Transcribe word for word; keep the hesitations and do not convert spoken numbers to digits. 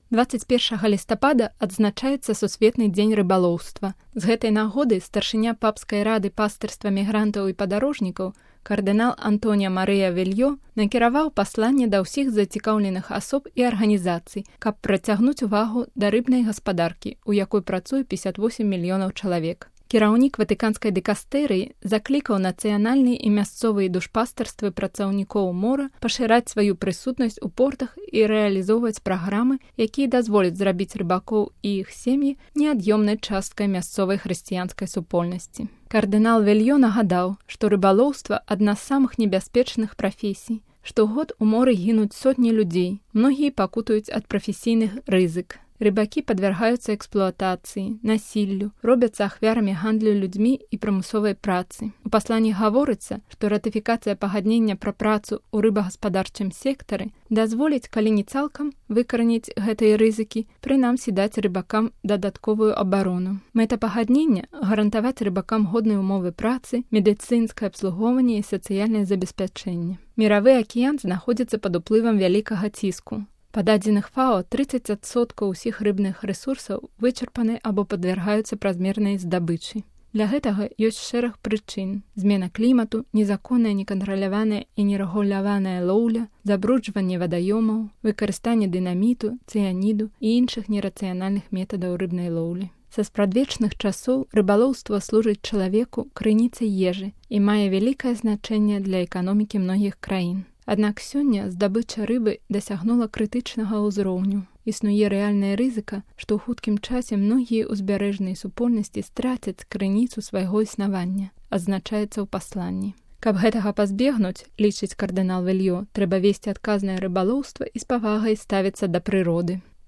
дваццаць першага лістапада адзначаецца Сусветны дзень рыбалоўства. З гэтай нагоды старшыня папскай рады пастырства мігрантаў і падарожнікаў кардынал Антоніо Марыя Вельё накіраваў пасланне да ўсіх зацікаўленых асоб і арганізацый, каб прыцягнуць увагу да рыбнай гаспадаркі, у якой працуе пятьдесят восемь мільёнаў чалавек. Кіраўнік Ватыканскай дыкастэрыі заклікаў нацыянальныя і мясцовыя душпастарствы працаўнікоў мора пашыраць сваю прысутнасць у портах і рэалізоўваць праграмы, якія дазволяць зрабіць рыбакоў і іх сем'і неад'ёмнай часткай мясцовай хрысціянскай супольнасці. Кардынал Вельё нагадаў, што рыбалоўства адна з самых небяспечных прафесій. Штогод у моры гінуць сотні людзей, многія пакутаюць ад прафесійных рызык. Рыбакі падвяргаюцца эксплуатацыі, насіллю, робяцца ахвярамі гандлю людзьмі і прымусовай працы. У пасланні гаворыцца, што ратыфікацыя пагаднення пра працу ў рыбагаспадарчым сектары дазволіць, калі не цалкам, выкараніць гэтыя рызыкі, прынамсі даць рыбакам дадатковую абарону. Мэта пагаднення – гарантаваць рыбакам годныя умовы працы, медыцынскае абслугоўванне і сацыяльнае забеспячэнне. Міравы акіян знаходзіцца пад уплывам вялікага ціску. Па дадзеных ФАО трыццаць адсоткаў усіх рыбных рэсурсаў вычарпаны або падвяргаюцца празмернай здабычы. Для гэтага ёсць шэраг прычын: змена клімату, незаконная, некантраляваная і нерэгуляваная лоўля, забруджванне вадаёмаў, выкарыстанне дынаміту, цыяніду і іншых нерацыянальных метадаў рыбнай лоўлі. Са спрадвечных часоў рыбалоўства служыць чалавеку крыніцай ежы і мае вялікае значэнне для эканомікі многіх краін. Аднак сёння здабыча рыбы дасягнула крытычнага ўзроўню. Існуе рэальная рызыка, што ў хуткім часе многія ўзбярэжныя супольнасці страцяць крыніцу свайго існавання, адзначаецца ў пасланні. Каб гэтага пазбегнуць, лічыць кардынал Вельё, трэба весці адказнае рыбалоўства і з павагай ставіцца да прыроды.